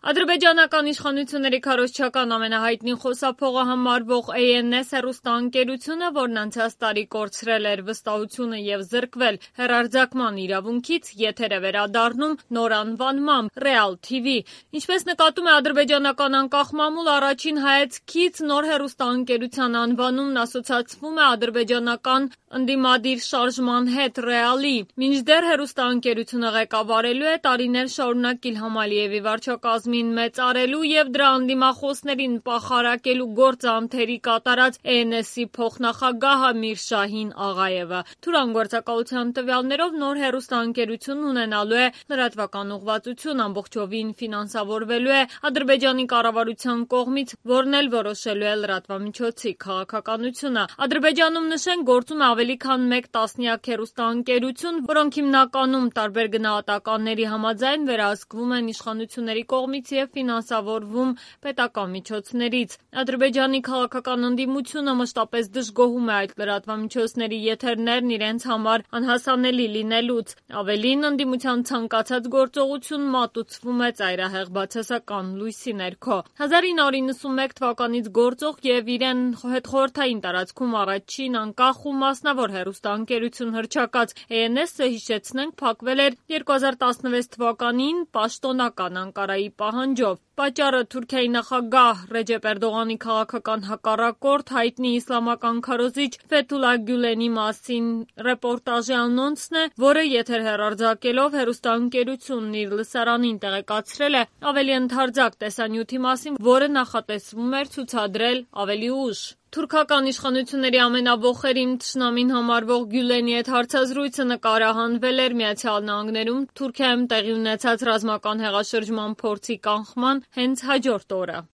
Ադրբեջանական իշխանությունների քարոզչական ամենահայտնի խոսափողը համարվող ANS հեռուստաընկերությունը, որն անցած տարի կորցրել էր վստահությունը և զրկվել հեռարձակման իրավունքից, եթեր է վերադառնում նոր անվանմամբ Real TV։ Ինչպես նկատում է ադրբեջանական անկախ մամուլ, առաջին հայացքից նոր հեռուստաընկերության անվանումն ասոցացվում է ադրբեջանական ընդդիմադիր շարժման հետ Real-ի։ Մինչդեռ հեռուստաընկերությունը ղեկավարելու է տարիներ շարունակ Իլհամ Ալիևի վարչակազմին մեծարելու և դրա ընդդիմախոսներին պախարակելու գործանթերի կատարած ANS-ի փոխնախագահ Ամիր Շահին Աղայևը։ Թուրան գործակալության տվյալներով նոր հեռուստաընկերությունն ունենալու է լրատվական ուղղվածություն, ամբողջովին ֆինանսավորվելու է Ադրբեջանի կառավարության կողմից, որն էլ որոշելու է լրատվամիջոցի քաղաքականությունը։ Ադրբեջանում, նշենք, գործում է ավելի քան մեկ տասնյակ հեռուստաընկերություն, որոնք հիմնականում տարբեր գնահատականների համաձայն վերահսկվում են իշխանությունների կողմից և ֆինանսավորվում պետական միջոցներից։ Ադրբեջանի քաղաքական ընդդիմությունը մշտապես դժգոհում է այդ լրատվամիջոցների եթերներն իրենց համար անհասանելի լինելուց։ Ավելին, ընդդիմության ցանկացած գործողություն մատուցվում է ծայրահեղ բացասական լույսի ներքո։ 1991 թվականից գործող և իրեն հետխորհրդային տարածքում առաջին անկախ ու մասնավոր հեռուստաընկերություն հռչակած ANS-ը, հիշեցնենք, փակվել էր 2016 թվականին պաշտոնական Անկարայի պահանջով։ Պատճառը Թուրքիայի նախագահ Ռեջեփ Էրդողանի քաղաքական հակառակորդ, հայտնի իսլամական քարոզիչ Ֆեթուլլահ Գյուլենի մասին ռեպորտաժի անոնցն է, որը եթեր հեռարձակելով հեռուստաընկերությունն իր լսարանին տեղեկացրել է ավելի ընդարձակ տեսանյութի մասին, որը նախատեսվում էր ցուցադրել ավելի ուշ։ Թուրքական իշխանությունների ամենավոխերիմ թշնամին համարվող Գյուլենի հետ հարցազրույցը նկարահանվել էր Միացյալ Նահանգներում Թուրքիայում տեղի ունեցած ռազմական հեղաշրջման փորձի կանխման հենց հաջորդ օրը։